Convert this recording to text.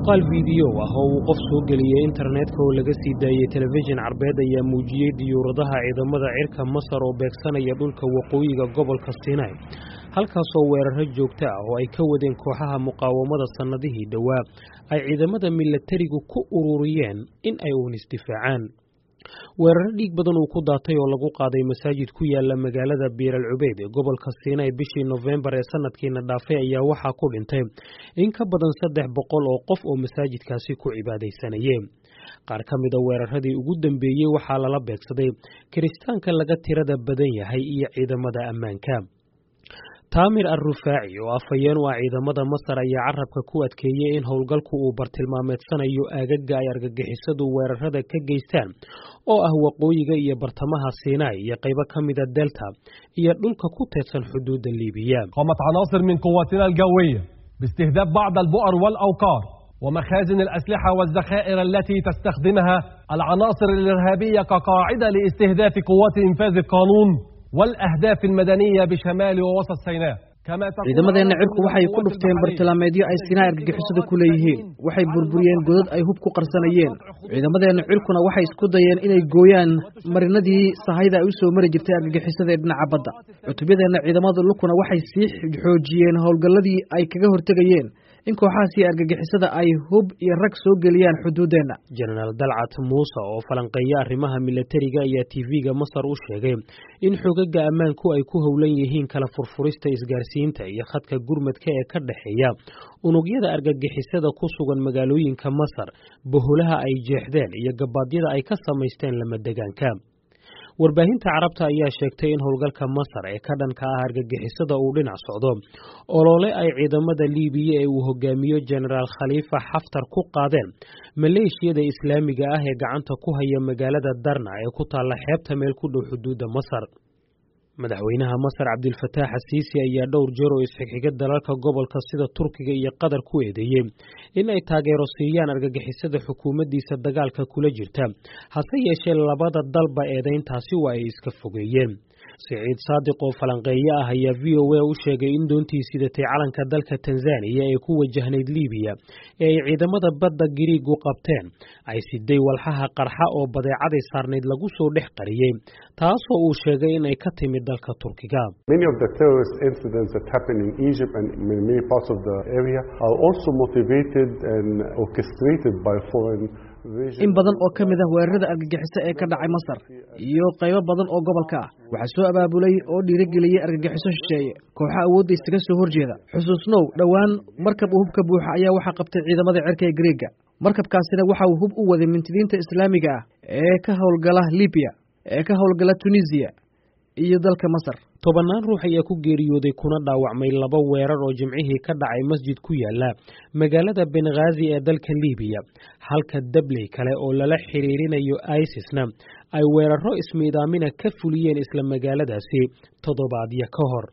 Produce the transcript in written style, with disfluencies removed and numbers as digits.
Muuqaal fiidiyow ah oo uu qof soo geliyey internetka oo laga sii daayey telefishin Carbeed ayaa muujiyey diyuuradaha ciidamada cirka Masar oo beegsanaya dhulka waqooyiga gobolka Sinai, halkaasoo weeraro joogto ah oo ay ka wadeen kooxaha muqaawamada sannadihii dhowaa ay ciidamada milatarigu ku ururiyeen in ay uun isdifaacaan. Weeraro dhiig badan uu ku daatay oo lagu qaaday masaajid ku yaala magaalada Biir al Cubeyd ee gobolka Siinay bishii Nofembar ee sanadkiina dhaafay ayaa waxaa ku dhintay in ka badan 300 oo qof oo masaajidkaasi ku cibaadaysanayeen. Qaar ka mida weeraradii ugu dambeeyey waxaa lala beegsaday Kiristaanka laga tirada badan yahay iyo ciidamada ammaanka. Taamir Al-Rufaaci oo afhayeen u ah ciidamada Masar ayaa carabka ku adkeeyey in howlgalku uu bartilmaameedsanayo aagaga ay argagixisadu weerarada ka geystaan oo ah waqooyiga iyo bartamaha Sinai iyo qaybo ka mida Delta iyo dhulka ku teedsan xuduudda Liibiya. قامت عناصر من قواتنا الجوية باستهداف بعض البؤر والأوقار ومخازن الأسلحة والذخائر التي تستخدمها العناصر الإرهابية كقاعدة لاستهداف قوات إنفاذ القانون والأهداف المدنية بشمال ووسط سيناء. Ciidamadeenna cirku waxay ku dhufteen bartilmaameedyo ay Sinaa argagixisadu ku leeyihiin. Waxay burburiyeen godad ay hub ku qarsanayeen. Ciidamadeenna cirkuna waxay isku dayeen inay gooyaan marinadii sahayda ay u soo mari jirtay argagixisada ee dhinaca badda. Cutubyadeenna ciidamada lukuna waxay sii xoojiyeen howlgalladii ay kaga hortegayeen in kooxahaasi argagixisada ay hub iyo rag soo geliyaan xuduuddeenna. Jenaraal Dalcat Muuse oo falanqeeya arrimaha milatariga ayaa TV-ga Masar u sheegay in xogaga ammaanku ay ku howlan yihiin kala furfurista isgaarsiinta iyo khadka gurmadka ee ka dhexeeya unugyada argagixisada ku sugan magaalooyinka Masar, boholaha ay jeexdeen iyo gabaadyada ay ka samaysteen lamadegaanka. Warbaahinta Carabta ayaa sheegtay in howlgalka Masar ee ka dhanka ah argagixisada uu dhinac socdo olole ay ciidamada Liibiya ee uu hogaamiyo Jenaraal Khaliifa Xaftar ku qaadeen maleeshiyada Islaamiga ah ee gacanta ku haya magaalada Darna ee ku taalla xeebta meel ku dhow xuduudda Masar. Madaxweynaha Masar Cabdilfataax Asiisi ayaa dhowr jeer oo isxigxiga dalalka gobolka sida Turkiga iyo Qatar ku eedeeyey in ay taageero siiyaan argagixisada xukuumaddiisa dagaalka kula jirta, hase yeeshee labada dalba eedayntaasi waa ay iska fogeeyeen. Siciid Saadiq oo falanqeeye ah ayaa VOA u sheegay in doontii sidatay calanka dalka Tanzaniya ee ku wajahnayd Liibiya ee ay ciidamada badda Giriigu qabteen ay siday walxaha qarxa oo badeecaday saarnayd lagu soo dhex qariyey, taasoo uu sheegay in ay ka timid dalka Turkiga. Many of the terrorist incidents that happen in Egypt and in many parts of the area are also motivated and orchestrated by foreign. In badan oo ka mid ah weerarada argagixiso ee ka dhacay Masar iyo qaybo badan oo gobolka ah waxaa soo abaabulay oo dhiirigeliyey argagixiso shisheeye, kooxa awoodda isaga soo horjeeda. Xusuusnow, dhowaan markab uu hubka buuxa ayaa waxaa qabtay ciidamada cirka ee Greega. Markabkaasina waxa uu hub u waday mintidiinta Islaamiga ah ee ka howlgala Libiya, ee ka howlgala Tunisiya iyo dalka Masar. Tobannaan ruux ayaa ku geeriyooday kuna dhaawacmay laba weerar oo Jimcihii ka dhacay masjid ku yaala magaalada Benghaazi ee dalka Liibiya, halka dabley kale oo lala xiriirinayo ISISna ay weeraro ismiidaamina ka fuliyeen isla magaaladaasi toddobaadyo ka hor.